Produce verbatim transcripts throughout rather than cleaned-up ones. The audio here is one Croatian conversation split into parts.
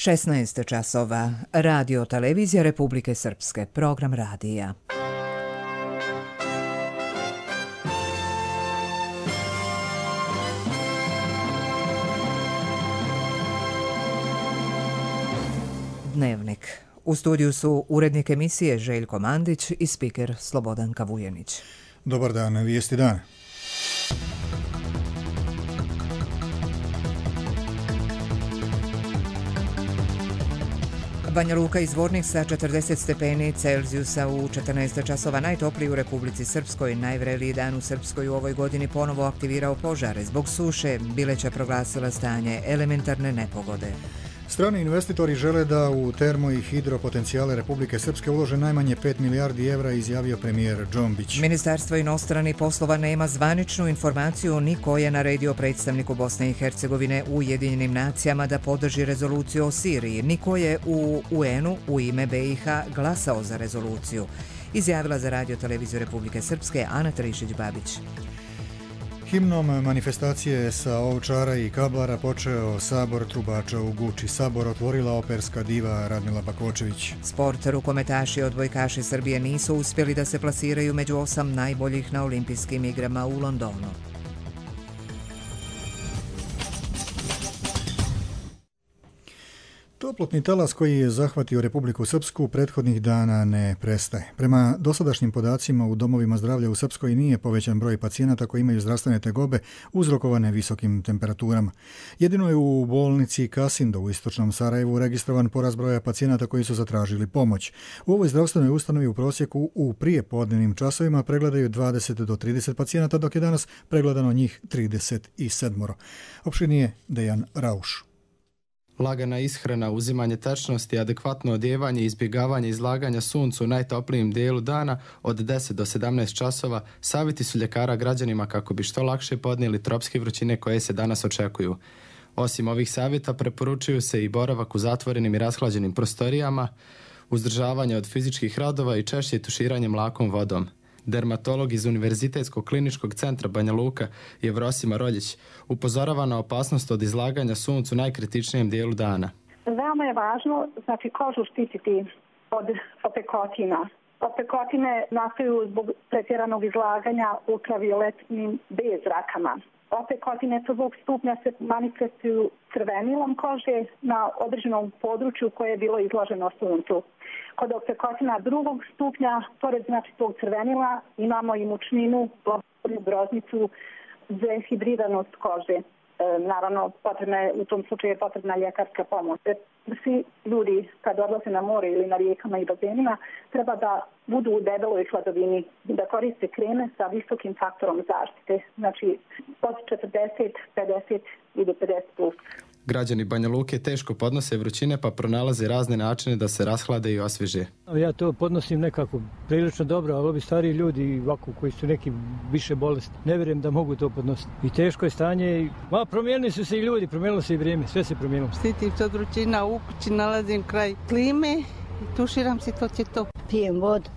šesnaest časova. Radio televizija Republike Srpske. Program radija. Dnevnik. U studiju su urednik emisije Željko Mandić i spiker Slobodanka Vujenić. Dobar dan, vijesti dana. Banja Luka i Zvornik sa četrdeset stepeni Celzijusa u četrnaest časova, najtopliji u Republici Srpskoj. Najvreliji dan u Srpskoj u ovoj godini ponovo aktivirao požare. Zbog suše Bileća proglasila stanje elementarne nepogode. Strani investitori žele da u termo i hidropotencijale Republike Srpske ulože najmanje pet milijardi evra, izjavio premijer Džombić. Ministarstvo inostranih poslova nema zvaničnu informaciju ni ko je naredio predstavniku Bosne i Hercegovine u Ujedinjenim nacijama da podrži rezoluciju o Siriji, ni ko je u U N-u u ime B i H glasao za rezoluciju, izjavila za Radio televiziju Republike Srpske Ana Trišić-Babić. Himnom manifestacije sa Ovčara i Kablara počeo Sabor trubača u Guči. Sabor otvorila operska diva Radmila Bakočević. Sport, rukometaši i odbojkaši Srbije nisu uspjeli da se plasiraju među osam najboljih na olimpijskim igrama u Londonu. Toplotni talas koji je zahvatio Republiku Srpsku prethodnih dana ne prestaje. Prema dosadašnjim podacima u domovima zdravlja u Srpskoj nije povećan broj pacijenata koji imaju zdravstvene tegobe uzrokovane visokim temperaturama. Jedino je u bolnici Kasindo u istočnom Sarajevu registrovan porast broja pacijenata koji su zatražili pomoć. U ovoj zdravstvenoj ustanovi u prosjeku u prijepodnevnim časovima pregledaju dvadeset do trideset pacijenata, dok je danas pregledano njih trideset sedam. Opširnije Dejan Rauš. Lagana ishrana, uzimanje tečnosti, adekvatno odjevanje i izbjegavanje izlaganja suncu u najtoplijem dijelu dana od deset do sedamnaest časova savjeti su ljekara građanima kako bi što lakše podnijeli tropske vrućine koje se danas očekuju. Osim ovih savjeta preporučuju se i boravak u zatvorenim i rashlađenim prostorijama, uzdržavanje od fizičkih radova i češće tuširanje mlakom vodom. Dermatolog iz Univerzitetskog kliničkog centra Banja Luka Jevrosima Roljić upozorava na opasnost od izlaganja suncu najkritičnijem dijelu dana. Veoma je važno, znači, kožu štititi od opekotina. Opekotine nastaju zbog pretjeranog izlaganja ultravioletnim B zrakama. Opekotine prvog stupnja se manifestuju crvenilom kože na određenom području koje je bilo izloženo suncu. Kod opekotina drugog stupnja, pored znači tog crvenila, imamo i mučninu, groznicu, dehidriranost kože. E, naravno, potrebna je, u tom slučaju je potrebna ljekarska pomoć. Svi ljudi kad odlaze na more ili na rijekama i bazenima treba da budu u debeloj hladovini, da koriste kreme sa visokim faktorom zaštite, znači od četrdeset, pedeset i do pedeset plus. Građani Banja Luke teško podnose vrućine pa pronalaze razne načine da se rashlade i osvježe. Ja to podnosim nekako prilično dobro, ali ovi stariji ljudi ovako koji su neki više bolesti, ne vjerujem da mogu to podnositi. I teško je stanje, ma promijenili su se i ljudi, promijenilo se i vrijeme, sve se promijenilo. Štitim se od vrućina, u kući nalazim kraj klime i tuširam se, to će to. Pijem vodu,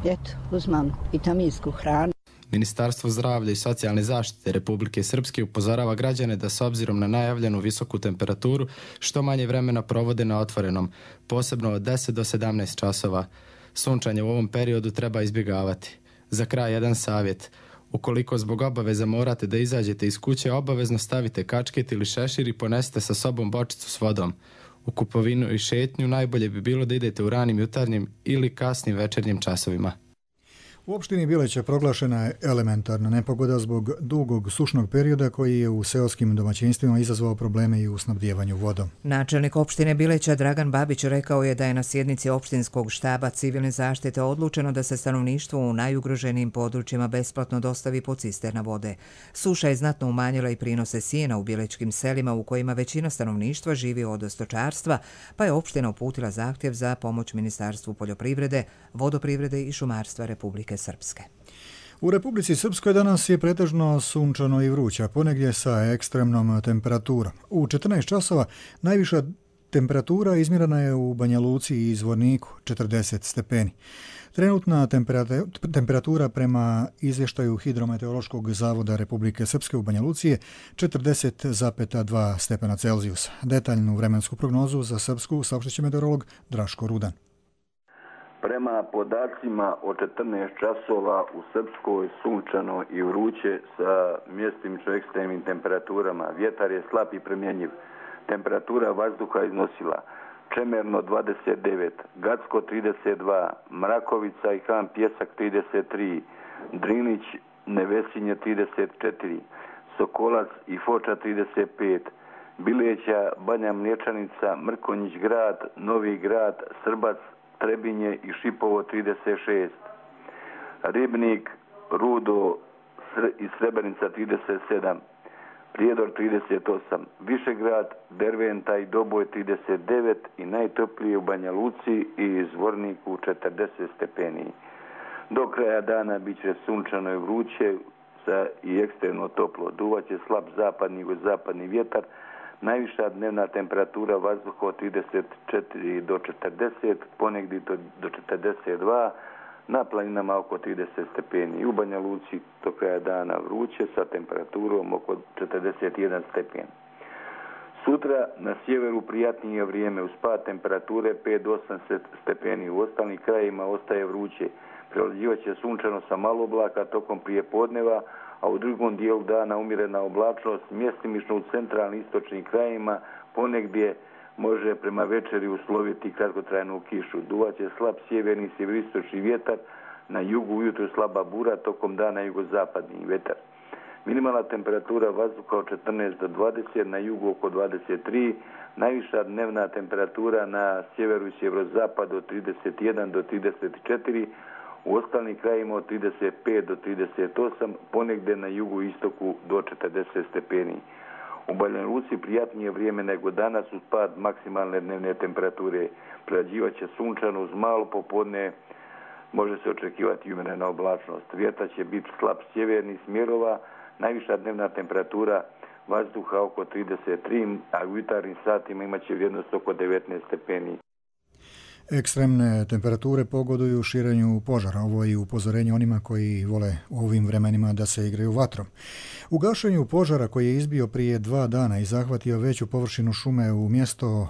eto, uzmam vitaminsku hranu. Ministarstvo zdravlja i socijalne zaštite Republike Srpske upozorava građane da s obzirom na najavljenu visoku temperaturu što manje vremena provode na otvorenom, posebno od deset do sedamnaest časova. Sunčanje u ovom periodu treba izbjegavati. Za kraj jedan savjet. Ukoliko zbog obaveza morate da izađete iz kuće, obavezno stavite kačket ili šešir i ponesite sa sobom bočicu s vodom. U kupovinu i šetnju najbolje bi bilo da idete u ranim jutarnjim ili kasnim večernjim časovima. U opštini Bileća proglašena je elementarna nepogoda zbog dugog sušnog perioda koji je u seoskim domaćinstvima izazvao probleme i u snabdijevanju vodom. Načelnik opštine Bileća Dragan Babić rekao je da je na sjednici opštinskog štaba civilne zaštite odlučeno da se stanovništvu u najugroženijim područjima besplatno dostavi po cisterna vode. Suša je znatno umanjila i prinose sjena u bilećkim selima u kojima većina stanovništva živi od stočarstva, pa je opština uputila zahtjev za pomoć Ministarstvu poljoprivrede, vodoprivrede i šumarstva Republike Srpske. U Republici Srpskoj danas je pretežno sunčano i vruće, ponegdje sa ekstremnom temperaturom. U četrnaest časova najviša Temperatura izmjerena je u Banja Luci i Zvorniku četrdeset stepeni. Trenutna temperatura prema izvještaju Hidrometeorološkog zavoda Republike Srpske u Banja Luci je četrdeset zarez dva stepena Celzijusa. Detaljnu vremensku prognozu za Srpsku saopštit će meteorolog Draško Rudan. Prema podacima od četrnaest časova u Srpskoj sunčano i vruće sa mjestimično ekstremnim temperaturama. Vjetar je slab i promjenjiv. Temperatura vazduha iznosila Čemerno dvadeset devet, Gacko trideset dva, Mrakovica i Han Pjesak trideset tri, Drinić, Nevesinje trideset četiri, Sokolac i Foča trideset pet, Bileća, Banja Mlječanica, Mrkonjić grad, Novi grad, Srbac, Trebinje i Šipovo trideset šest, Ribnik, Rudo i Srebrenica trideset sedam, Prijedor trideset osam, Višegrad, Derventa i Doboj trideset devet i najtoplije u Banja Luci i Zvorniku četrdeset stepeni. Do kraja dana bit će sunčano i vruće sa i ekstremno toplo. Duvaće slab zapadni i zapadni vjetar. Najviša dnevna temperatura vazduha od trideset četiri do četrdeset, ponegdje do četrdeset dva, na planinama oko trideset stepeni. U Banja Luci do kraja dana vruće sa temperaturom oko četrdeset jedan stepen. Sutra na sjeveru prijatnije vrijeme, uz pad temperature pet do osam stepeni. U ostalim krajima ostaje vruće. Prevlađivat će sunčano sa malo oblaka tokom prijepodneva, a u drugom dijelu dana umjerena oblačnost, mjestimično u centralnim istočnim krajima, ponegdje može prema večeri usloviti kratkotrajnu kišu. Duvaće slab sjeverni sjeveristočni vjetar, na jugu ujutro slaba bura, tokom dana jugozapadni vjetar. Minimalna temperatura vazduha od četrnaest do dvadeset, na jugu oko dvadeset tri, najviša dnevna temperatura na sjeveru i sjeverozapadu od trideset jedan do trideset četiri, u ostalim krajima od trideset pet do trideset osam, ponegdje na jugu i istoku do četrdeset stepeni. U Banja Luci prijatnije vrijeme nego danas uz pad maksimalne dnevne temperature. Prerađivat će sunčano uz malo popodne, može se očekivati umjerena oblačnost. Vjetar će biti slab sjevernih smjerova, najviša dnevna temperatura vazduha oko trideset tri, a u jutarnjim satima imat će vrijednost oko devetnaest stepeni. Ekstremne temperature pogoduju širenju požara. Ovo je upozorenje onima koji vole u ovim vremenima da se igraju vatrom. U gašenju požara koji je izbio prije dva dana i zahvatio veću površinu šume u mjesto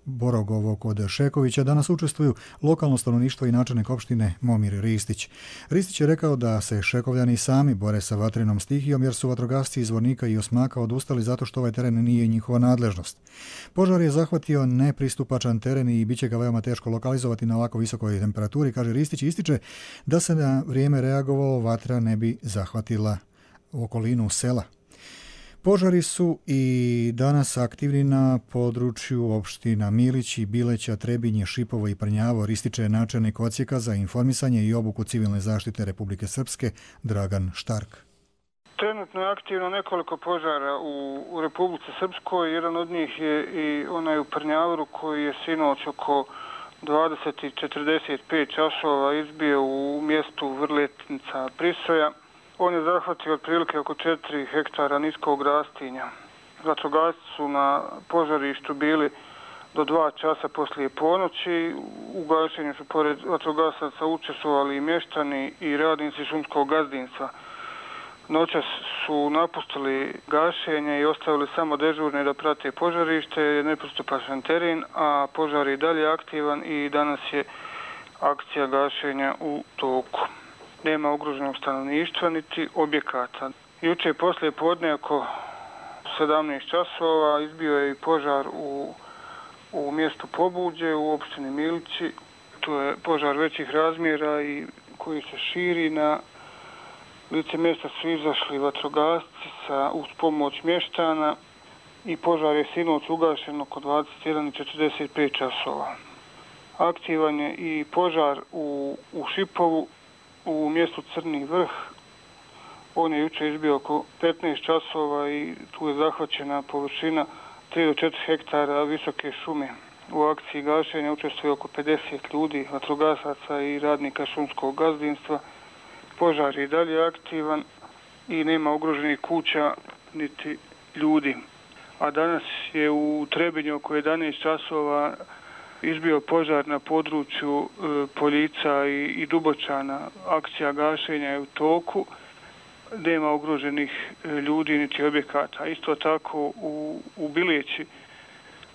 Borogovo kod Šekovića, danas učestvuju lokalno stanovništvo i načelnik opštine Momir Ristić. Ristić je rekao da se Šekovljani sami bore sa vatrenom stihijom jer su vatrogasci iz Zvornika i Osmaka odustali zato što ovaj teren nije njihova nadležnost. Požar je zahvatio nepristupačan teren i bit će ga veoma teško lokalizovati na ovako visokoj temperaturi, kaže Ristić, i ističe da se na vrijeme reagovalo, vatra ne bi zahvatila okolinu sela. Požari su i danas aktivni na području opština Milići, Bileća, Trebinje, Šipovo i Prnjavo, ističe načelnik odsjeka za informisanje i obuku civilne zaštite Republike Srpske Dragan Štark. Trenutno je aktivno nekoliko požara u, u Republici Srpskoj. Jedan od njih je i onaj u Prnjavoru koji je sinoć oko dvadeset i četrdeset pet časova izbio u mjestu Vrletnica Prisoja. On je zahvatio otprilike oko četiri hektara niskog rastinja. Vatrogasci su na požarištu bili do dva časa poslije ponoći. U gašenju su pored vatrogasaca učestvovali i mještani i radnici šumskog gazdinstva. Noćas su napustili gašenje i ostavili samo dežurne da prate požarište, nepristupačan teren, a požar je dalje aktivan i danas je akcija gašenja u toku. Nema ugroženog stanovništva niti objekata. Juče poslije podne oko sedamnaest časova izbio je i požar u, u mjestu Pobuđe u opštini Milići. To je požar većih razmjera i koji se širi. Na lice mjesta su izašli vatrogasci sa, uz pomoć mještana i požar je sinoć ugašen oko dvadeset jedan i četrdeset pet časova. Aktivan je i požar u, u Šipovu, u mjestu Crni vrh. On je juče izbio oko petnaest časova i tu je zahvaćena površina tri do četiri hektara visoke šume. U akciji gašenja učestvuje oko pedeset ljudi, vatrogasaca i radnika šumskog gazdinstva. Požar je dalje aktivan i nema ugroženih kuća niti ljudi. a danas je u Trebinju oko jedanaest časova izbio požar na području Poljica i, i Dubočana. Akcija gašenja je u toku, nema ugroženih ljudi niti objekata. Isto tako u, u Bileći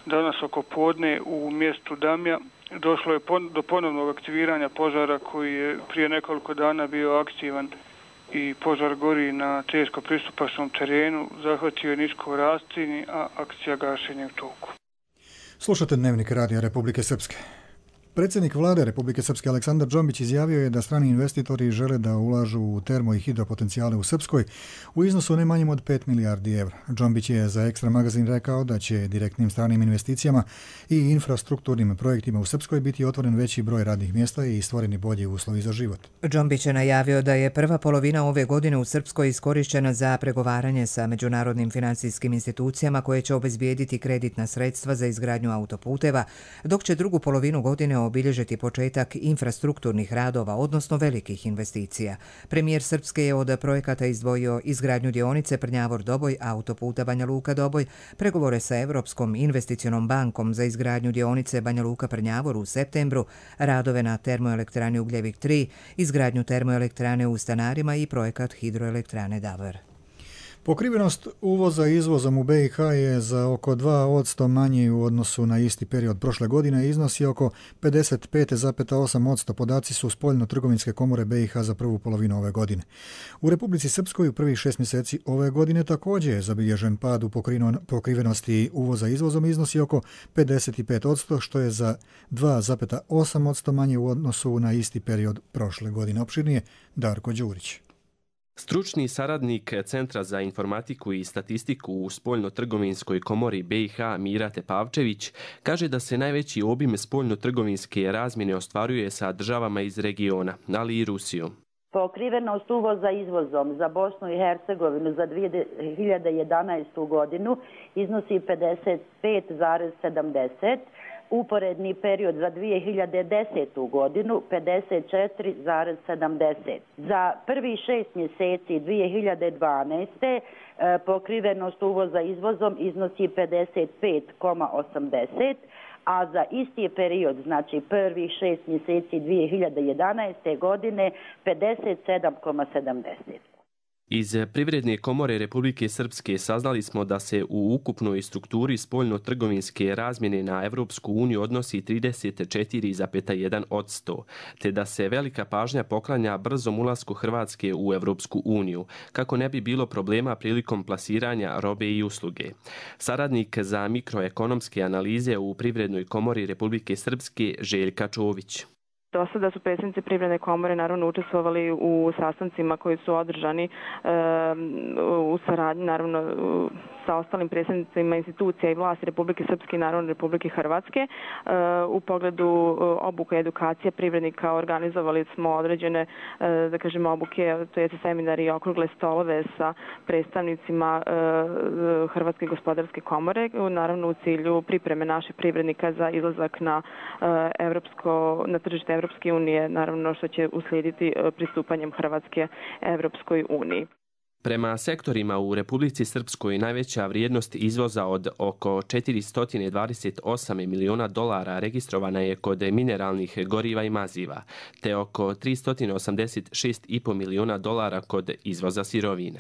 danas oko podne u mjestu Damja došlo je pon, do ponovnog aktiviranja požara koji je prije nekoliko dana bio aktivan i požar gori na teško pristupačnom terenu, zahvatio je nisko rastinji, a akcija gašenja je u toku. Slušate Dnevnik Radija Republike Srpske. Predsjednik vlade Republike Srpske Aleksandar Džombić izjavio je da strani investitori žele da ulažu u termo i hidropotencijale u Srpskoj u iznosu ne manjem od pet milijardi evra. Džombić je za Ekstra magazin rekao da će direktnim stranim investicijama i infrastrukturnim projektima u Srpskoj biti otvoren veći broj radnih mjesta i stvoreni bolji uslovi za život. Džombić je najavio da je prva polovina ove godine u Srpskoj iskorišćena za pregovaranje sa međunarodnim financijskim institucijama koje će obezbijediti kreditna sredstva za izgradnju autoputeva, dok će drugu polovinu godine obilježiti početak infrastrukturnih radova, odnosno velikih investicija. Premijer Srpske je od projekata izdvojio izgradnju dionice Prnjavor-Doboj, autoputa Banja Luka-Doboj, pregovore sa Europskom investicionom bankom za izgradnju dionice Banja Luka-Prnjavor u septembru, radove na termoelektrani Ugljevik tri, izgradnju termoelektrane u Stanarima i projekat hidroelektrane Davor. Pokrivenost uvoza izvozom u B i H je za oko dva posto manji u odnosu na isti period prošle godine i iznosi oko pedeset pet zarez osam posto. Podaci su spoljno-trgovinske komore B i H za prvu polovinu ove godine. U Republici Srpskoj u prvih šest mjeseci ove godine također je zabilježen pad u pokrivenosti uvoza izvozom i iznosi oko pedeset pet posto, što je za dva zarez osam posto manje u odnosu na isti period prošle godine. Opširnije Darko Đurić. Stručni saradnik Centra za informatiku i statistiku u spoljno-trgovinskoj komori B i H Mira Tepavčević kaže da se najveći obim spoljno-trgovinske razmjene ostvaruje sa državama iz regiona, ali i Rusijom. Pokrivenost uvoza izvozom za Bosnu i Hercegovinu za dvije hiljade jedanaestu godinu iznosi pedeset pet zarez sedamdeset, uporedni period za dvije hiljade desetu godinu pedeset četiri zarez sedamdeset. Za prvi šest mjeseci dvije hiljade dvanaeste. pokrivenost uvoza izvozom iznosi pedeset pet zarez osamdeset, a za isti period, znači prvih šest mjeseci dvije hiljade jedanaeste. godine pedeset sedam zarez sedamdeset. Iz Privredne komore Republike Srpske saznali smo da se u ukupnoj strukturi spoljno-trgovinske razmjene na Evropsku uniju odnosi trideset četiri zarez jedan posto, te da se velika pažnja poklanja brzom ulasku Hrvatske u Evropsku uniju, kako ne bi bilo problema prilikom plasiranja robe i usluge. Saradnik za mikroekonomske analize u Privrednoj komori Republike Srpske Željka Čović. Do sada su predsjednici Privredne komore naravno učestvovali u sastancima koji su održani e, u saradnji naravno sa ostalim predsjednicima institucija i vlasti Republike Srpske i naravno Republike Hrvatske. E, u pogledu obuke i edukacije privrednika organizovali smo određene e, da kažemo obuke, to je seminari i okrugle stolove sa predstavnicima e, Hrvatske gospodarske komore, naravno u cilju pripreme naših privrednika za izlazak na e, evropsko na tržište Evropske unije, naravno što će uslijediti pristupanjem Hrvatske Evropskoj uniji. Prema sektorima u Republici Srpskoj najveća vrijednost izvoza od oko četiristo dvadeset osam miliona dolara registrovana je kod mineralnih goriva i maziva, te oko tristo osamdeset šest zarez pet miliona dolara kod izvoza sirovina.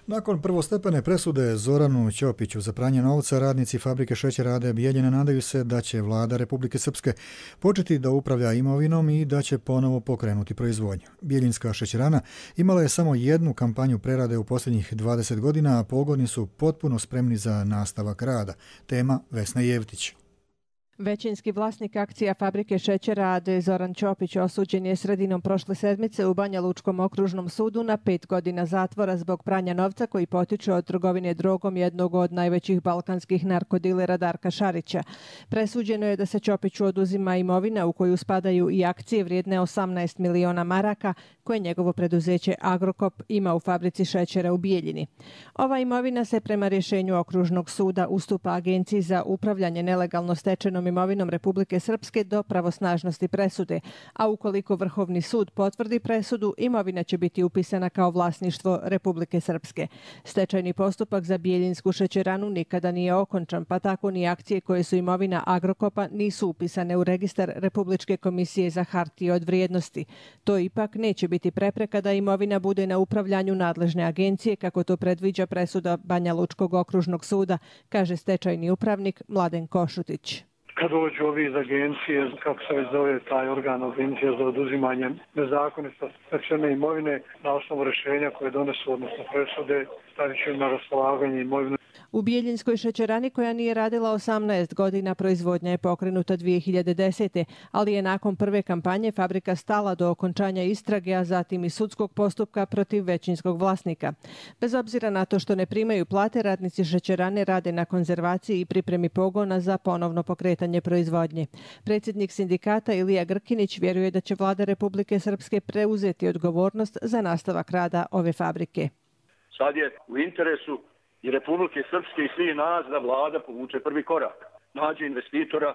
Nakon prvostepene presude Zoranu Ćopiću za pranje novca, radnici fabrike šećera A D Bijeljina nadaju se da će vlada Republike Srpske početi da upravlja imovinom i da će ponovo pokrenuti proizvodnju. Bijeljinska šećerana imala je samo jednu kampanju prerade u posljednjih dvadeset godina, a pogoni su potpuno spremni za nastavak rada. Tema Vesna Jevtić. Većinski vlasnik akcija fabrike šećera A D Zoran Ćopić osuđen je sredinom prošle sedmice u Banja Lučkom okružnom sudu na pet godina zatvora zbog pranja novca koji potiče od trgovine drogom jednog od najvećih balkanskih narkodilera Darka Šarića. Presuđeno je da se Ćopiću oduzima imovina u koju spadaju i akcije vrijedne osamnaest miliona maraka koje njegovo preduzeće Agrokop ima u fabrici šećera u Bijeljini. Ova imovina se prema rješenju okružnog suda ustupa Agenciji za upravljanje nelegalno stečenom oduzetom imovinom Republike Srpske do pravosnažnosti presude, a ukoliko Vrhovni sud potvrdi presudu, imovina će biti upisana kao vlasništvo Republike Srpske. Stečajni postupak za Bijeljinsku šećeranu nikada nije okončan, pa tako ni akcije koje su imovina Agrokopa nisu upisane u registar Republičke komisije za hartije od vrijednosti. To ipak neće biti prepreka da imovina bude na upravljanju nadležne agencije, kako to predviđa presuda Banja Lučkog okružnog suda, kaže stečajni upravnik Mladen Košutić. Kad dođu ovi iz agencije, kako se već zove taj organ, agencija za oduzimanje nezakonito stečene imovine, na osnovu rješenja koje donesu, odnosno presude, stavit će na raspolaganje imovine. U Bijeljinskoj šećerani, koja nije radila osamnaest godina, proizvodnja je pokrenuta dvije hiljade desete. ali je nakon prve kampanje fabrika stala do okončanja istrage, a zatim i sudskog postupka protiv većinskog vlasnika. Bez obzira na to što ne primaju plate, radnici šećerane rade na konzervaciji i pripremi pogona za ponovno pokretanje proizvodnje. Predsjednik sindikata Ilija Grkinić vjeruje da će vlada Republike Srpske preuzeti odgovornost za nastavak rada ove fabrike. Sad je u interesu i Republike Srpske i svi nas da vlada povuče prvi korak. Nađe investitora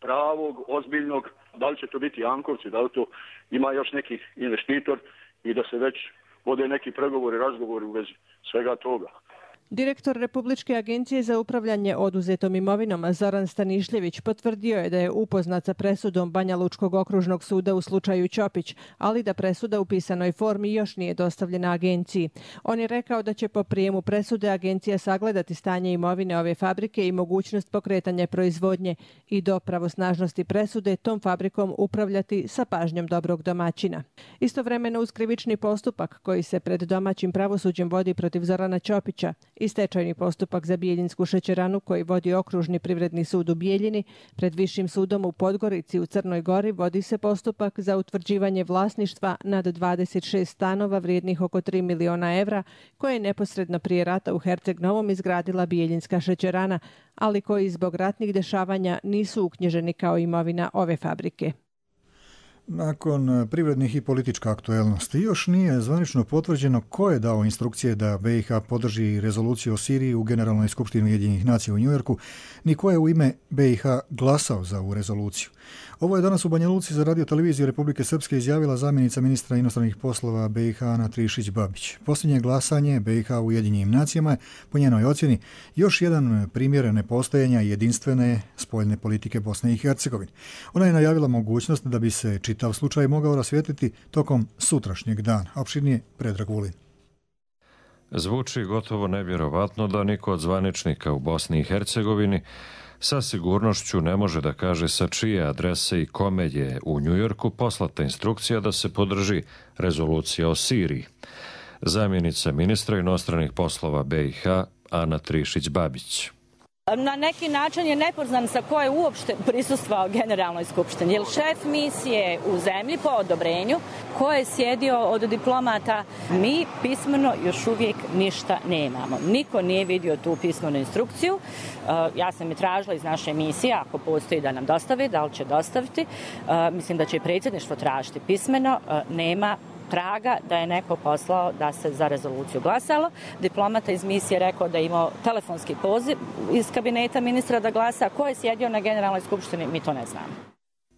pravog, ozbiljnog, da li će to biti Jankovci, da li to ima još neki investitor i da se već vode neki pregovori, razgovori u vezi svega toga. Direktor Republičke agencije za upravljanje oduzetom imovinom Zoran Stanišljević potvrdio je da je upoznat sa presudom Banja Lučkog okružnog suda u slučaju Ćopić, ali da presuda u pisanoj formi još nije dostavljena agenciji. On je rekao da će po prijemu presude agencija sagledati stanje imovine ove fabrike i mogućnost pokretanja proizvodnje i do pravosnažnosti presude tom fabrikom upravljati sa pažnjom dobrog domaćina. Istovremeno uz krivični postupak koji se pred domaćim pravosuđem vodi protiv Zorana Ćopića i stečajni postupak za Bijeljinsku šećeranu koji vodi okružni privredni sud u Bijeljini, pred Višim sudom u Podgorici u Crnoj Gori vodi se postupak za utvrđivanje vlasništva nad dvadeset šest stanova vrijednih oko tri miliona evra koje je neposredno prije rata u Herceg Novom izgradila Bijeljinska šećerana, ali koji zbog ratnih dešavanja nisu uknjiženi kao imovina ove fabrike. Nakon privrednih i političke aktuelnosti još nije zvanično potvrđeno ko je dao instrukcije da B i H podrži rezoluciju o Siriji u Generalnoj skupštini Ujedinjenih nacija u Njujorku, ni ko je u ime B i H glasao za ovu rezoluciju. Ovo je danas u Banja Luci za radio televiziju Republike Srpske izjavila zamjenica ministra inostranih poslova B i H Ana Trišić-Babić. Posljednje glasanje B i H u Ujedinjenim nacijama je, po njenoj ocjeni, još jedan primjer nepostojanja jedinstvene spoljne politike Bosne i Hercegovine. Ona je najavila mogućnost da bi se čitav slučaj mogao rasvijetliti tokom sutrašnjeg dana. Opširnije Predrag Vulin. Zvuči gotovo nevjerovatno da niko od zvaničnika u Bosni i Hercegovini sa sigurnošću ne može da kaže sa čije adrese i kome je u Njujorku poslata instrukcija da se podrži rezolucija o Siriji. Zamjenica ministra inostranih poslova B i H Ana Trišić-Babić. Na neki način je nepoznam sa ko je uopšte prisustvao Generalnoj skupštini. Jer šef misije u zemlji po odobrenju, ko je sjedio od diplomata, mi pismeno još uvijek ništa nemamo. Niko nije vidio tu pismenu instrukciju. Ja sam je tražila iz naše misije, ako postoji da nam dostave, da li će dostaviti. Mislim da će i predsjedništvo tražiti pismeno. Nema traga da je neko poslao da se za rezoluciju glasalo. Diplomata iz misije rekao da je imao telefonski poziv iz kabineta ministra da glasa. Ko je sjedio na Generalnoj skupštini, mi to ne znamo.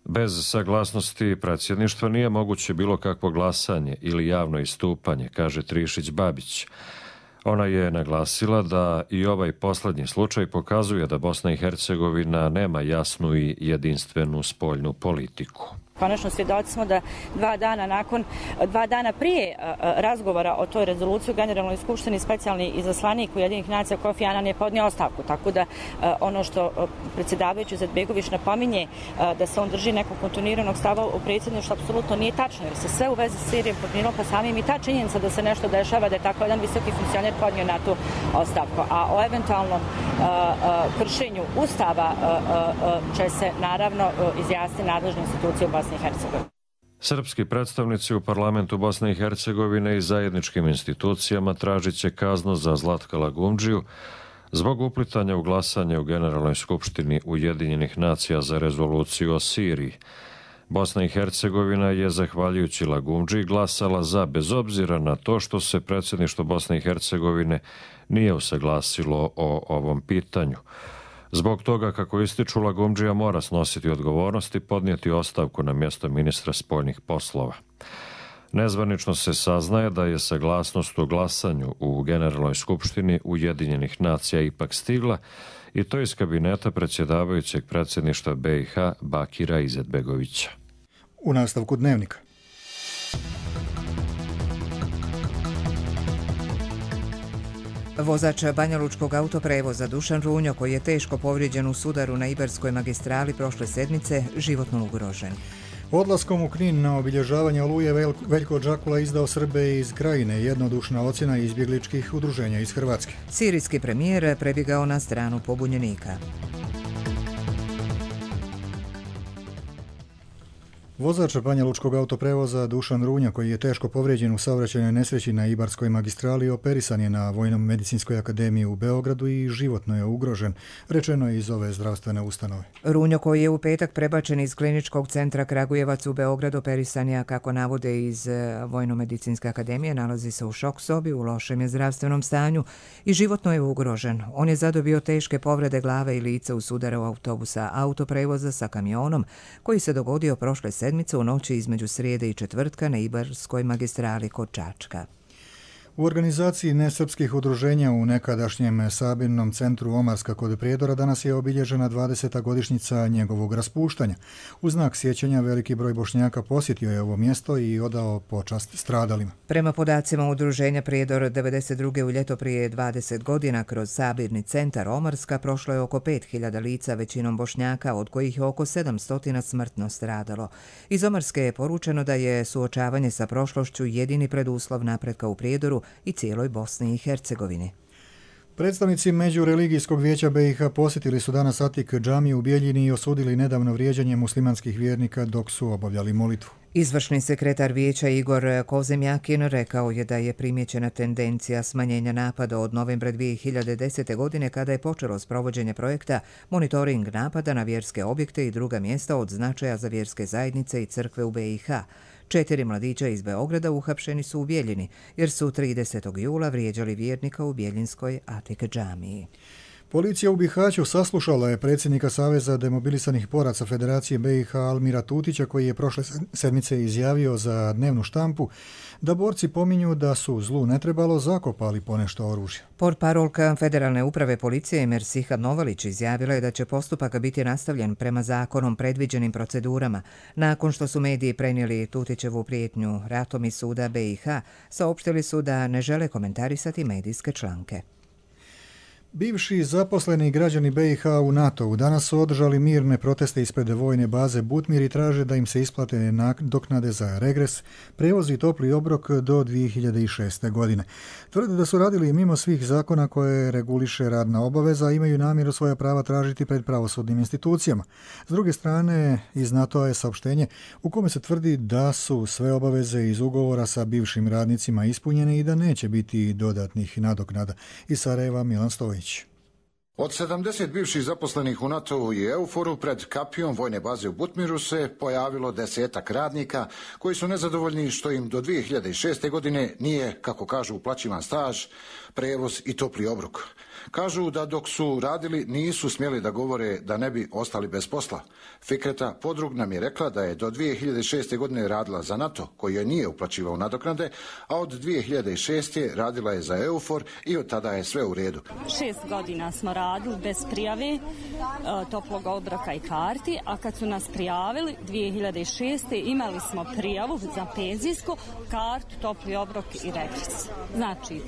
Bez saglasnosti predsjedništva nije moguće bilo kakvo glasanje ili javno istupanje, kaže Trišić-Babić. Ona je naglasila da i ovaj posljednji slučaj pokazuje da Bosna i Hercegovina nema jasnu i jedinstvenu spoljnu politiku. Konačno svjedoci smo da dva dana nakon, dva dana prije razgovora o toj rezoluciji u Generalnoj skupštini specijalni izaslanik Ujedinjenih nacija Kofi Anan je podnio ostavku. Tako da ono što predsjedavajući Izetbegović napominje da se on drži nekog kontinuiranog stava u predsjedništvu apsolutno nije tačno, jer se sve u vezi s Sirijom podmirilo, pa samim i ta činjenica da se nešto dešava, da je tako jedan visoki funkcioner podnio na tu ostavku. A o eventualnom kršenju Ustava će se naravno izjasniti nadležne institucije u Bosni i Hercegovini. Srpski predstavnici u parlamentu Bosne i Hercegovine i zajedničkim institucijama tražit će kaznu za Zlatka Lagumdžiju zbog uplitanja u glasanje u Generalnoj skupštini Ujedinjenih nacija za rezoluciju o Siriji. Bosna i Hercegovina je, zahvaljujući Lagumdži, glasala za, bez obzira na to što se predsjedništvo Bosne i Hercegovine nije usaglasilo o ovom pitanju. Zbog toga, kako ističu, Lagumdžija mora snositi odgovornost i podnijeti ostavku na mjesto ministra spoljnih poslova. Nezvanično se saznaje da je saglasnost o glasanju u Generalnoj skupštini Ujedinjenih nacija ipak stigla, i to iz kabineta predsjedavajućeg predsjedništva B i H Bakira Izetbegovića. U nastavku dnevnika. Vozač banjalučkog autoprevoza Dušan Runjo, koji je teško povrijeđen u sudaru na Ibarskoj magistrali prošle sedmice, životno ugrožen. Odlaskom u Knin na obilježavanje Oluje Veljko Džakula izdao Srbe iz Krajine, jednodušna ocjena izbjegličkih udruženja iz Hrvatske. Sirijski premijer prebjegao na stranu pobunjenika. Vozač banjalučkog autoprevoza Dušan Runjo, koji je teško povrijeđen u saobraćajnoj nesreći na Ibarskoj magistrali, operisan je na Vojno-medicinskoj akademiji u Beogradu i životno je ugrožen, rečeno je iz ove zdravstvene ustanove. Runjo, koji je u petak prebačen iz kliničkog centra Kragujevac u Beograd, operisan je, kako navode iz Vojno-medicinske akademije, nalazi se u šok sobi, u lošem je zdravstvenom stanju i životno je ugrožen. On je zadobio teške povrede glave i lica u sudaru autobusa autoprevoza sa kamionom, koji se dogodio prošle sedmice u noći između srijede i četvrtka na Ibarskoj magistrali kod Čačka. U organizaciji nesrpskih udruženja u nekadašnjem sabirnom centru Omarska kod Prijedora danas je obilježena dvadeseta godišnjica njegovog raspuštanja. U znak sjećanja veliki broj Bošnjaka posjetio je ovo mjesto i odao počast stradalima. Prema podacima udruženja Prijedor, devedeset druge u ljeto prije dvadeset godina kroz sabirni centar Omarska prošlo je oko pet hiljada lica, većinom Bošnjaka, od kojih je oko sedamsto smrtno stradalo. Iz Omarske je poručeno da je suočavanje sa prošlošću jedini preduslov napretka u Prijedoru i cijeloj Bosni i Hercegovini. Predstavnici Međureligijskog vijeća B i H posjetili su danas Atik džamiju u Bijeljini i osudili nedavno vrijeđanje muslimanskih vjernika dok su obavljali molitvu. Izvršni sekretar vijeća Igor Kozemjakin rekao je da je primjećena tendencija smanjenja napada od novembra dvije hiljade desete. godine, kada je počelo sprovođenje projekta monitoring napada na vjerske objekte i druga mjesta od značaja za vjerske zajednice i crkve u B i H. Četiri mladića iz Beograda uhapšeni su u Bijeljini, jer su tridesetog jula vrijeđali vjernika u Bijeljinskoj Atik džamiji. Policija u Bihaću saslušala je predsjednika Saveza demobilisanih boraca Federacije B i H Almira Tutića, koji je prošle sedmice izjavio za dnevnu štampu da borci pominju da su zlu ne trebalo zakopali ponešto oružja. Portparolka Federalne uprave policije Mersiha Novalić izjavila je da će postupak biti nastavljen prema zakonom predviđenim procedurama. Nakon što su mediji prenijeli Tutićevu prijetnju ratom iz suda B i H, saopštili su da ne žele komentarisati medijske članke. Bivši zaposleni građani B i H u NATO-u danas su održali mirne proteste ispred vojne baze Butmir i traže da im se isplate nadoknade za regres, prevoz i topli obrok do dvije hiljade šeste. godine. Tvrde da su radili mimo svih zakona koje reguliše radna obaveza, a imaju namjeru svoja prava tražiti pred pravosudnim institucijama. S druge strane, iz NATO-a je saopštenje u kome se tvrdi da su sve obaveze iz ugovora sa bivšim radnicima ispunjene i da neće biti dodatnih nadoknada. Iz Sarajeva Milan Stojić. Od sedamdeset bivših zaposlenih u NATO-u i Euforu pred kapijom vojne baze u Butmiru se pojavilo desetak radnika koji su nezadovoljni što im do dvije hiljade šeste. godine nije, kako kažu, uplaćivan staž, prevoz i topli obrok. Kažu da dok su radili nisu smjeli da govore da ne bi ostali bez posla. Fikreta Podrug nam je rekla da je do dvije hiljade šeste. godine radila za NATO, koji joj nije uplaćivao nadoknade, a od dvije hiljade šeste. radila je za Eufor i od tada je sve u redu. Šest godina smo radili bez prijave, toplog obroka i karti, a kad su nas prijavili dvije hiljade šeste. imali smo prijavu za penzijsku kartu, topli obrok i regres. Znači,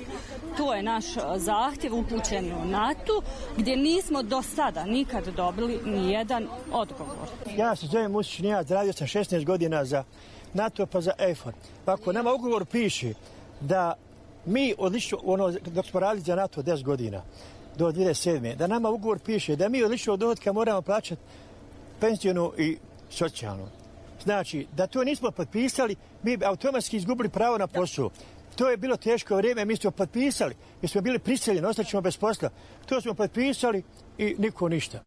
to je naš zahtjev upućen u NATO, gdje nismo do sada nikad dobili ni jedan odgovor. Ja se zovem Musić Nijad, radio sam šesnaest godina za NATO pa za Eufor. Pa ako nama ugovor piše da mi odlično, ono, dok smo radili za NATO deset godina, do dvije hiljade sedme. da nama ugovor piše da mi od ličnog dohotka moramo plaćati penzijonu i socijalnu. Znači, da to nismo potpisali, mi bi automatski izgubili pravo na posao. To je bilo teško vrijeme, mi smo potpisali, mi smo bili prisiljeni, ostaćemo bez posla. To smo potpisali i niko ništa.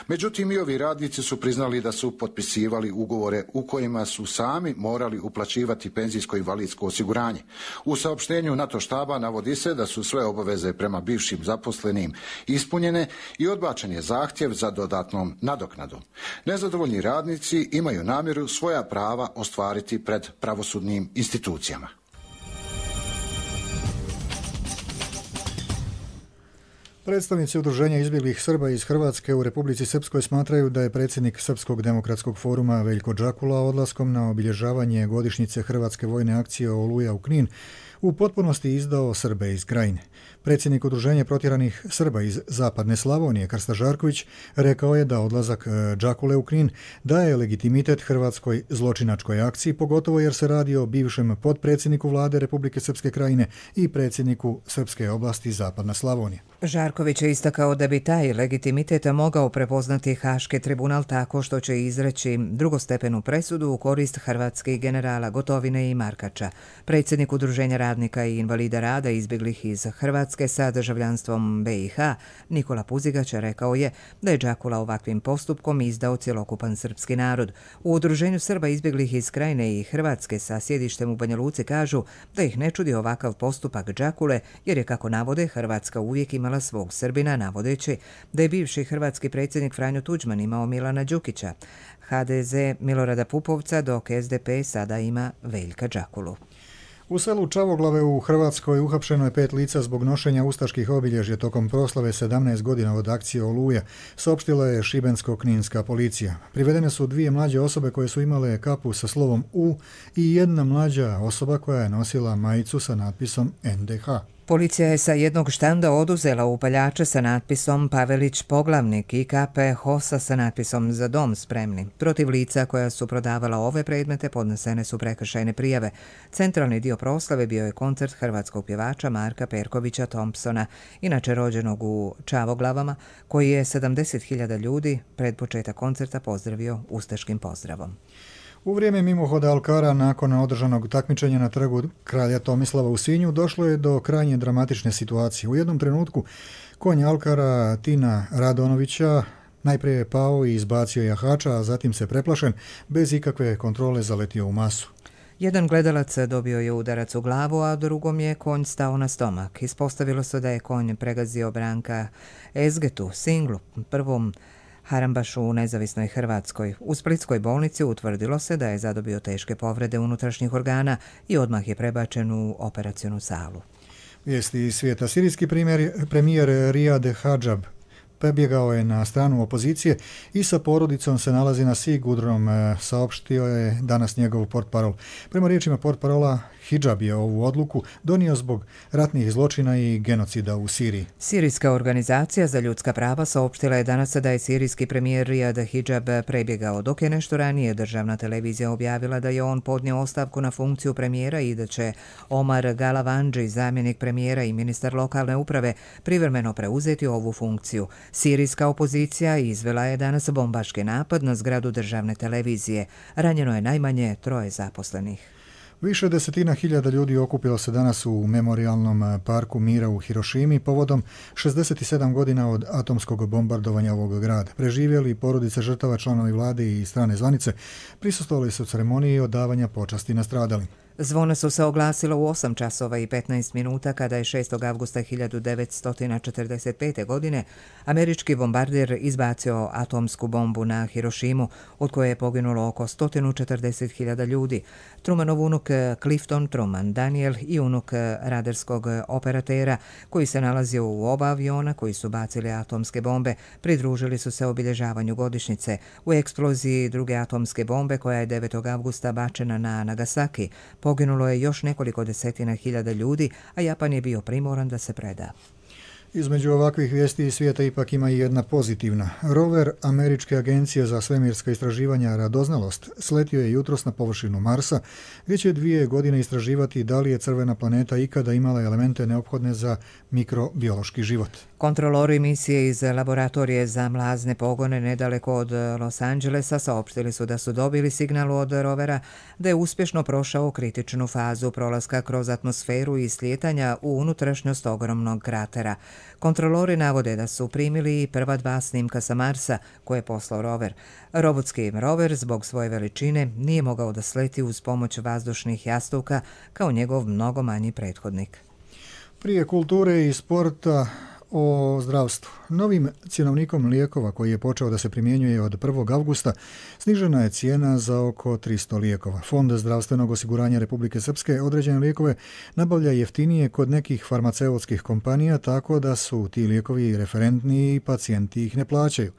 Međutim, i ovi radnici su priznali da su potpisivali ugovore u kojima su sami morali uplaćivati penzijsko i invalidsko osiguranje. U saopštenju NATO štaba navodi se da su sve obaveze prema bivšim zaposlenim ispunjene i odbačen je zahtjev za dodatnom nadoknadom. Nezadovoljni radnici imaju namjeru svoja prava ostvariti pred pravosudnim institucijama. Predstavnici Udruženja izbjeglih Srba iz Hrvatske u Republici Srpskoj smatraju da je predsjednik Srpskog demokratskog foruma Veljko Džakula odlaskom na obilježavanje godišnjice Hrvatske vojne akcije Oluja u Knin u potpunosti izdao Srbe iz Krajine. Predsjednik Udruženja protjeranih Srba iz Zapadne Slavonije, Krsta Žarković, rekao je da odlazak Džakule u Knin daje legitimitet hrvatskoj zločinačkoj akciji, pogotovo jer se radi o bivšem potpredsjedniku vlade Republike Srpske Krajine i predsjedniku Srpske oblasti Zapadna Slavonija. Žarković je istakao da bi taj legitimitet mogao prepoznati Haški tribunal tako što će izreći drugostepenu presudu u korist hrvatskih generala Gotovine i Markača. Predsjednik Udruženja radnika i invalida rada izbjeglih iz Hrvatske sa državljanstvom be i ha, Nikola Puzigać, rekao je da je Džakula ovakvim postupkom izdao cjelokupan srpski narod. U Udruženju Srba izbjeglih iz Krajine i Hrvatske sa sjedištem u Banja Luci kažu da ih ne čudi ovakav postupak Džakule, jer je, kako navode, Hrvatska uvijek imala svog Srbina, navodeći da je bivši hrvatski predsjednik Franjo Tuđman imao Milana Đukića, ha de ze Milorada Pupovca, dok es de pe sada ima Veljka Džakulu. U selu Čavoglave u Hrvatskoj uhapšeno je pet lica zbog nošenja ustaških obilježja tokom proslave sedamnaest godina od akcije Oluja, saopštila je šibensko-kninska policija. Privedene su dvije mlađe osobe koje su imale kapu sa slovom U i jedna mlađa osoba koja je nosila majicu sa natpisom en de ha. Policija je sa jednog štanda oduzela upaljače sa natpisom Pavelić poglavnik i kape Hosa sa natpisom Za dom spremni. Protiv lica koja su prodavala ove predmete podnesene su prekršajne prijave. Centralni dio proslave bio je koncert hrvatskog pjevača Marka Perkovića Thompsona, inače rođenog u Čavoglavama, koji je sedamdeset hiljada ljudi pred početak koncerta pozdravio ustaškim pozdravom. U vrijeme mimohoda Alkara nakon održanog takmičenja na trgu kralja Tomislava u Sinju došlo je do krajnje dramatične situacije. U jednom trenutku konj Alkara Tina Radonovića najprije je pao i izbacio jahača, a zatim se preplašen bez ikakve kontrole zaletio u masu. Jedan gledalac dobio je udarac u glavu, a drugom je konj stao na stomak. Ispostavilo se da je konj pregazio Branka Ezgetu, singlu, prvom harambašu u nezavisnoj Hrvatskoj. U splitskoj bolnici utvrdilo se da je zadobio teške povrede unutrašnjih organa i odmah je prebačen u operacionu salu. Vijesti iz svijeta. Sirijski premijer Riyad Hadžab prebjegao je na stranu opozicije i sa porodicom se nalazi na sigurnom, saopštio je danas njegov portparol. Prema riječima portparola, Hidžab je ovu odluku donio zbog ratnih zločina i genocida u Siriji. Sirijska organizacija za ljudska prava saopštila je danas da je sirijski premijer Riyad Hidžab prebjegao, dok je nešto ranije državna televizija objavila da je on podnio ostavku na funkciju premijera i da će Omar Galavandži, zamjenik premijera i ministar lokalne uprave, privremeno preuzeti ovu funkciju. Sirijska opozicija izvela je danas bombaški napad na zgradu državne televizije. Ranjeno je najmanje troje zaposlenih. Više desetina hiljada ljudi okupilo se danas u memorialnom parku mira u Hirošimi povodom šezdeset sedam godina od atomskog bombardovanja ovog grada. Preživjeli porodice žrtava, članovi vlade i strane zvanice prisustvovali su ceremoniji odavanja počasti nastradalim. Zvona su se oglasila u osam časova i petnaest minuta kada je šestog avgusta hiljadu devetsto četrdeset pete. godine američki bombarder izbacio atomsku bombu na Hirošimu, od koje je poginulo oko sto četrdeset hiljada ljudi. Trumanov unuk Clifton Truman Daniel i unuk radarskog operatera, koji se nalazio u oba aviona koji su bacili atomske bombe, pridružili su se obilježavanju godišnjice. U eksploziji druge atomske bombe, koja je devetog avgusta bačena na Nagasaki, poginulo je još nekoliko desetina hiljada ljudi, a Japan je bio primoran da se preda. Između ovakvih vijesti iz svijeta ipak ima i jedna pozitivna. Rover Američke agencije za svemirska istraživanja Radoznalost sletio je jutros na površinu Marsa, gdje će dvije godine istraživati da li je crvena planeta ikada imala elemente neophodne za mikrobiološki život. Kontrolori misije iz laboratorije za mlazne pogone nedaleko od Los Angelesa saopštili su da su dobili signal od rovera da je uspješno prošao kritičnu fazu prolaska kroz atmosferu i slijetanja u unutrašnjost ogromnog kratera. Kontrolori navode da su primili i prva dva snimka sa Marsa koje je poslao rover. Robotski rover zbog svoje veličine nije mogao da sleti uz pomoć vazdušnih jastuka kao njegov mnogo manji prethodnik. Prije kulture i sporta o zdravstvu. Novim cjenovnikom lijekova koji je počeo da se primjenjuje od prvog avgusta snižena je cijena za oko tristo lijekova. Fond zdravstvenog osiguranja Republike Srpske određene lijekove nabavlja jeftinije kod nekih farmaceutskih kompanija, tako da su ti lijekovi referentni i pacijenti ih ne plaćaju.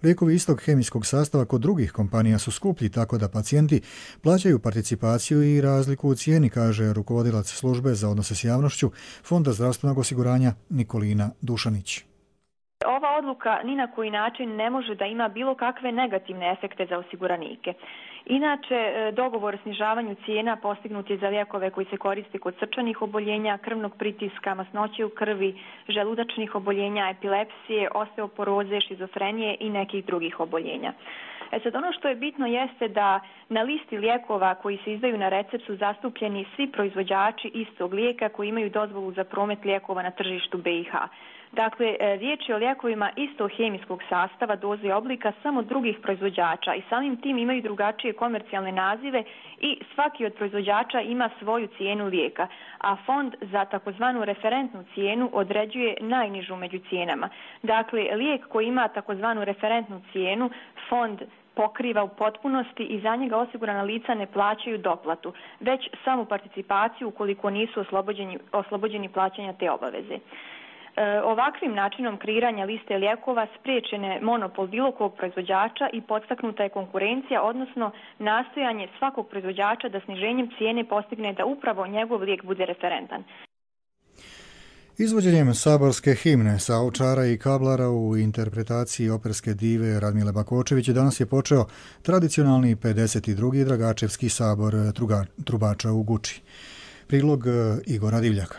Lijekovi istog hemijskog sastava kod drugih kompanija su skuplji, tako da pacijenti plaćaju participaciju i razliku u cijeni, kaže rukovodilac službe za odnose s javnošću Fonda zdravstvenog osiguranja Nikolina Dušanić. Ova odluka ni na koji način ne može da ima bilo kakve negativne efekte za osiguranike. Inače, dogovor o snižavanju cijena postignut je za lijekove koji se koriste kod srčanih oboljenja, krvnog pritiska, masnoće u krvi, želudačnih oboljenja, epilepsije, osteoporoze, šizofrenije i nekih drugih oboljenja. E sad, ono što je bitno jeste da na listi lijekova koji se izdaju na recept su zastupljeni svi proizvođači istog lijeka koji imaju dozvolu za promet lijekova na tržištu B i H. Dakle, riječ je o lijekovima istog hemijskog sastava, doze i oblika samo drugih proizvođača i samim tim imaju drugačije komercijalne nazive i svaki od proizvođača ima svoju cijenu lijeka, a fond za takozvanu referentnu cijenu određuje najnižu među cijenama. Dakle, lijek koji ima takozvanu referentnu cijenu, fond pokriva u potpunosti i za njega osigurana lica ne plaćaju doplatu, već samo participaciju ukoliko nisu oslobođeni, oslobođeni plaćanja te obaveze. Ovakvim načinom kreiranja liste lijekova spriječen je monopol bilo kog proizvođača i podstaknuta je konkurencija, odnosno nastojanje svakog proizvođača da sniženjem cijene postigne da upravo njegov lijek bude referentan. Izvođenjem saborske himne sa Ovčara i Kablara u interpretaciji operske dive Radmile Bakočević danas je počeo tradicionalni pedeset drugi Dragačevski sabor trubača u Guči. Prilog Igora Divljaka.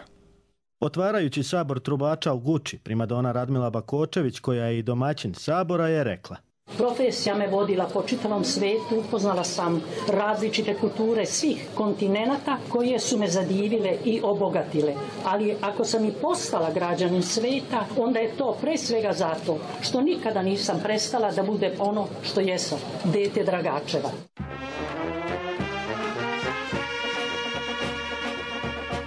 Otvarajući sabor trubača u Guči, primadona Radmila Bakočević, koja je i domaćin sabora, je rekla: Profesija me vodila po čitavom svetu, upoznala sam različite kulture svih kontinenata koje su me zadivile i obogatile. Ali ako sam i postala građanin sveta, onda je to pre svega zato što nikada nisam prestala da budem ono što jesam, dete Dragačeva.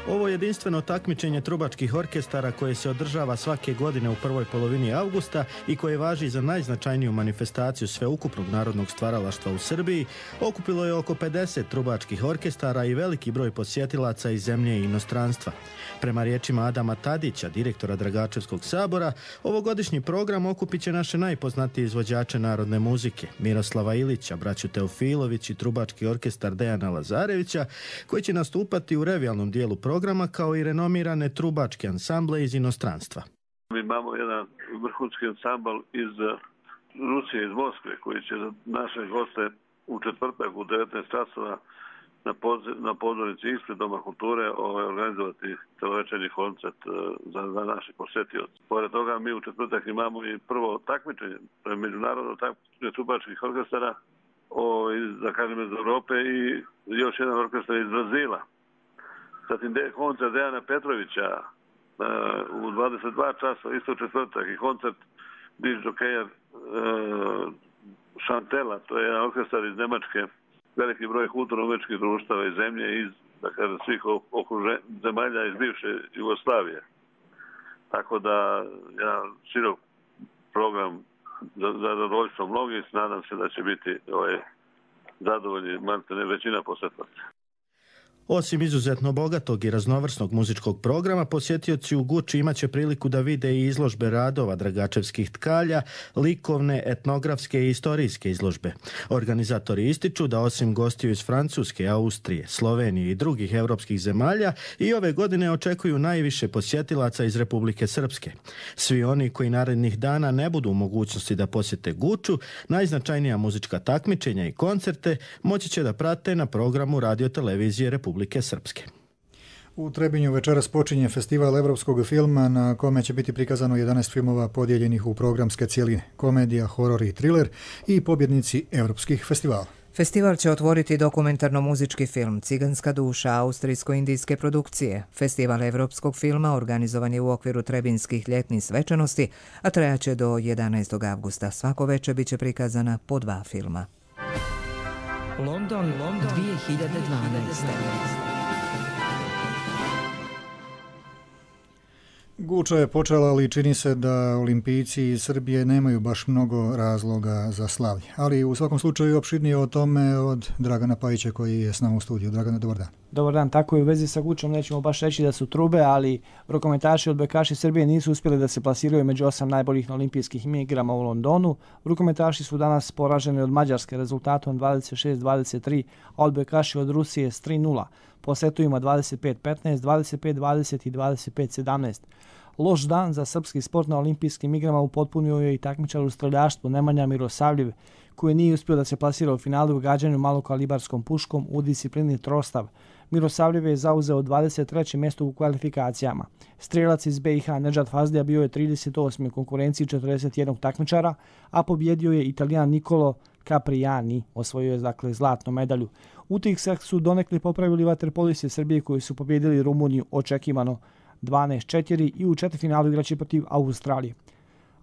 Ovo jedinstveno takmičenje trubačkih orkestara koje se održava svake godine u prvoj polovini avgusta i koje važi za najznačajniju manifestaciju sveukupnog narodnog stvaralaštva u Srbiji, okupilo je oko pedeset trubačkih orkestara i veliki broj posjetilaca iz zemlje i inostranstva. Prema riječima Adama Tadića, direktora Dragačevskog sabora, ovogodišnji program okupit će naše najpoznatije izvođače narodne muzike, Miroslava Ilića, braću Teofilović i trubački orkestar Dejana Lazarevića, koji će nastupati u revijalnom dijelu programa kao i renomirane trubačke ansamble iz inostranstva. Mi imamo jedan vrhunski ansambl iz Rusije, iz Moskve, koji će za naše goste u četvrtak u devetnaest časova na, na pozornici ispred Doma kulture ovaj, organizovati celovečernji koncert za, za naše posjetioce. Pored toga mi u četvrtak imamo i prvo takmičenje, to je međunarodno takmičenje trubačkih orkestara o, iz, da kažem, iz Europe i još jedan orkestar iz Brazila. Zatim koncert Dejana Petrovića uh, u dvadeset dva časa, isto četvrtak, i koncert disk jokeja uh, Šantela, to je jedan orkestar iz Nemačke, veliki broj kulturno-umjetničkih društava iz zemlje, iz, da kažem, svih okruže, zemalja iz bivše Jugoslavije. Tako da, jedan širok program za, za zadovoljstvo mnogih, nadam se da će biti ovaj, zadovoljni maltene većina posjetlaca. Osim izuzetno bogatog i raznovrsnog muzičkog programa, posjetioci u Guči imaće priliku da vide i izložbe radova dragačevskih tkalja, likovne, etnografske i istorijske izložbe. Organizatori ističu da osim gostiju iz Francuske, Austrije, Slovenije i drugih europskih zemalja i ove godine očekuju najviše posjetilaca iz Republike Srpske. Svi oni koji narednih dana ne budu u mogućnosti da posjete Guču, najznačajnija muzička takmičenja i koncerte moći će da prate na programu radiotelevizije Republike Srpske. U Trebinju večeras počinje festival evropskog filma na kome će biti prikazano jedanaest filmova podijeljenih u programske cjeline, komedija, horor i thriller i pobjednici evropskih festivala. Festival će otvoriti dokumentarno-muzički film Ciganska duša austrijsko-indijske produkcije. Festival evropskog filma organizovan je u okviru Trebinskih ljetnih svečanosti, a trajaće do jedanaestog avgusta. Svako veče bit će prikazana po dva filma. London, London dvije hiljade dvanaeste. Guča je počela, ali čini se da olimpijci iz Srbije nemaju baš mnogo razloga za slavlje. Ali u svakom slučaju opširnije o tome od Dragana Pajića koji je s nama u studiju. Dragane, dobar dan. Dobar dan, tako i u vezi sa Gučom nećemo baš reći da su trube, ali rukometaši odbojkaši Srbije nisu uspjeli da se plasiraju među osam najboljih na olimpijskih igrama u Londonu. Rukometaši su danas poraženi od Mađarske rezultatom dvadeset šest dvadeset tri, a odbojkaši od Rusije s tri nula. Po setovima dvadeset pet petnaest, dvadeset pet dvadeset i dvadeset pet sedamnaest. Loš dan za srpski sport na olimpijskim igrama upotpunio je i takmičar u streljaštvu Nemanja Mirosavljev, koji nije uspio da se plasira u finalu u gađanju malokalibarskom puškom u disciplini trostav. Mirosavljev je zauzeo dvadeset treće mjesto u kvalifikacijama. Strelac iz B i H Nedžad Fazdija bio je trideset osmi u konkurenciji četrdeset jednog takmičara, a pobjedio je Italijan Nicolo Capriani, osvojio je dakle zlatnu medalju. Utisak su donekle popravili vaterpolisti Srbije koji su pobjedili Rumuniju očekivano dvanaest četiri i u četvrtfinalu igraće protiv Australije.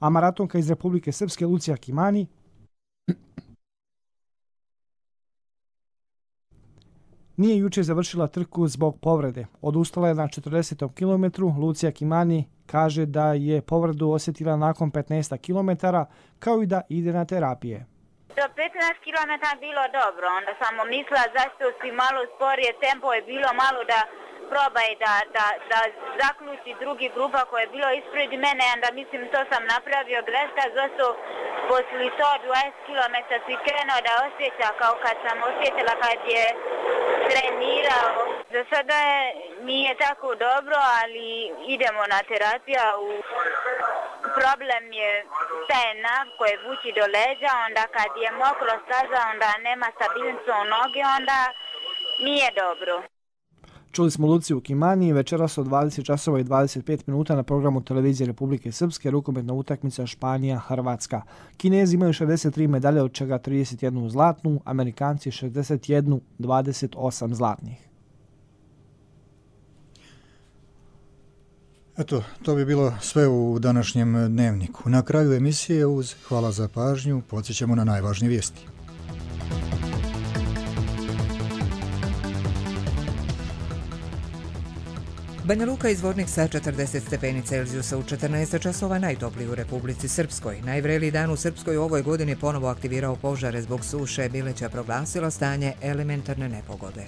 A maratonka iz Republike Srpske Lucija Kimani nije juče završila trku zbog povrede. Odustala je na četrdesetom kilometru. Lucija Kimani kaže da je povredu osjetila nakon petnaest kilometara, kao i da ide na terapije. Do petnaest kilometara bilo dobro, onda samo mislila zašto si malo sporije, tempo je bilo malo da probaj da, da, da zaključi drugi grupa koja je bilo ispred mene, onda mislim to sam napravio greška, zašto poslije sto dvadeset kilometara si krenuo da osjeća kao kad sam osjetila kad je trenirao. Za sada je, nije tako dobro, ali idemo na terapiju. Problem je taj nav koje vuči do leđa, onda kad je mokro staza, onda nema stabilnosti u noge, onda nije dobro. Čuli smo Luciju Kimani, večeras od dvadeset časova i dvadeset pet minuta na programu Televizije Republike Srpske rukometna utakmica Španija-Hrvatska. Kinezi imaju šezdeset tri medalje, od čega trideset jednu zlatnu, Amerikanci šezdeset jednu, dvadeset osam zlatnih. Eto, to bi bilo sve u današnjem dnevniku. Na kraju emisije uz hvala za pažnju podsjećamo na najvažnije vijesti. Banja Luka izvornik sa četrdeset stepeni Celzijusa u četrnaest časova najtopliji u Republici Srpskoj. Najvreliji dan u Srpskoj u ovoj godini ponovo aktivirao požare zbog suše. Bileća proglasila stanje elementarne nepogode.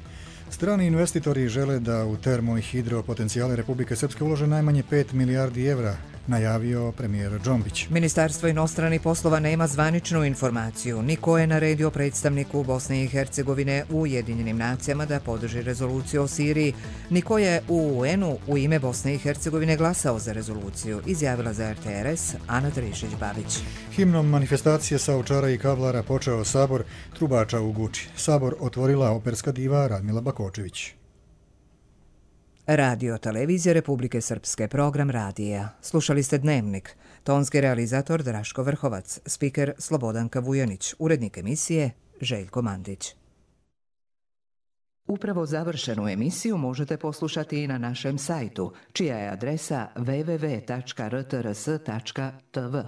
Strani investitori žele da u termo i hidro potencijale Republike Srpske ulože najmanje pet milijardi evra, najavio premijer Džombić. Ministarstvo inostranih poslova nema zvaničnu informaciju. Niko je naredio predstavniku Bosne i Hercegovine u Ujedinjenim nacijama da podrži rezoluciju o Siriji. Niko je u U N-u u ime Bosne i Hercegovine glasao za rezoluciju, izjavila za R T R S Ana Trišić-Babić. Himnom manifestacije sa Ovčara i Kablara počeo sabor trubača u Guči. Sabor otvorila operska diva Radmila Bakočević. Radio Televizija Republike Srpske, program radija. Slušali ste Dnevnik. Tonski realizator Draško Vrhovac, spiker Slobodanka Vujanić, urednik emisije Željko Mandić. Upravo završenu emisiju možete poslušati i na našem sajtu, čija je adresa w w w tačka r t r s tačka t v.